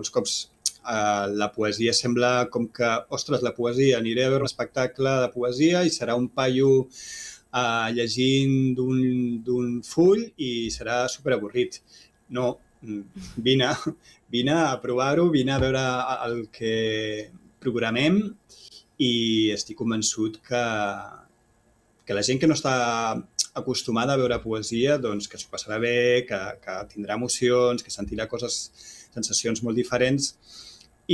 molts cops la poesia sembla com que, ostres, la poesia, aniré a veure un espectacle de poesia i serà un paio llegint d'un full i serà superavorrit. No, vine a provar-ho, vine a veure el que programem i estic convençut que la gent que no està acostumada a veure poesia, doncs que s'ho passarà bé, que tindrà emocions, que sentirà sensacions molt diferents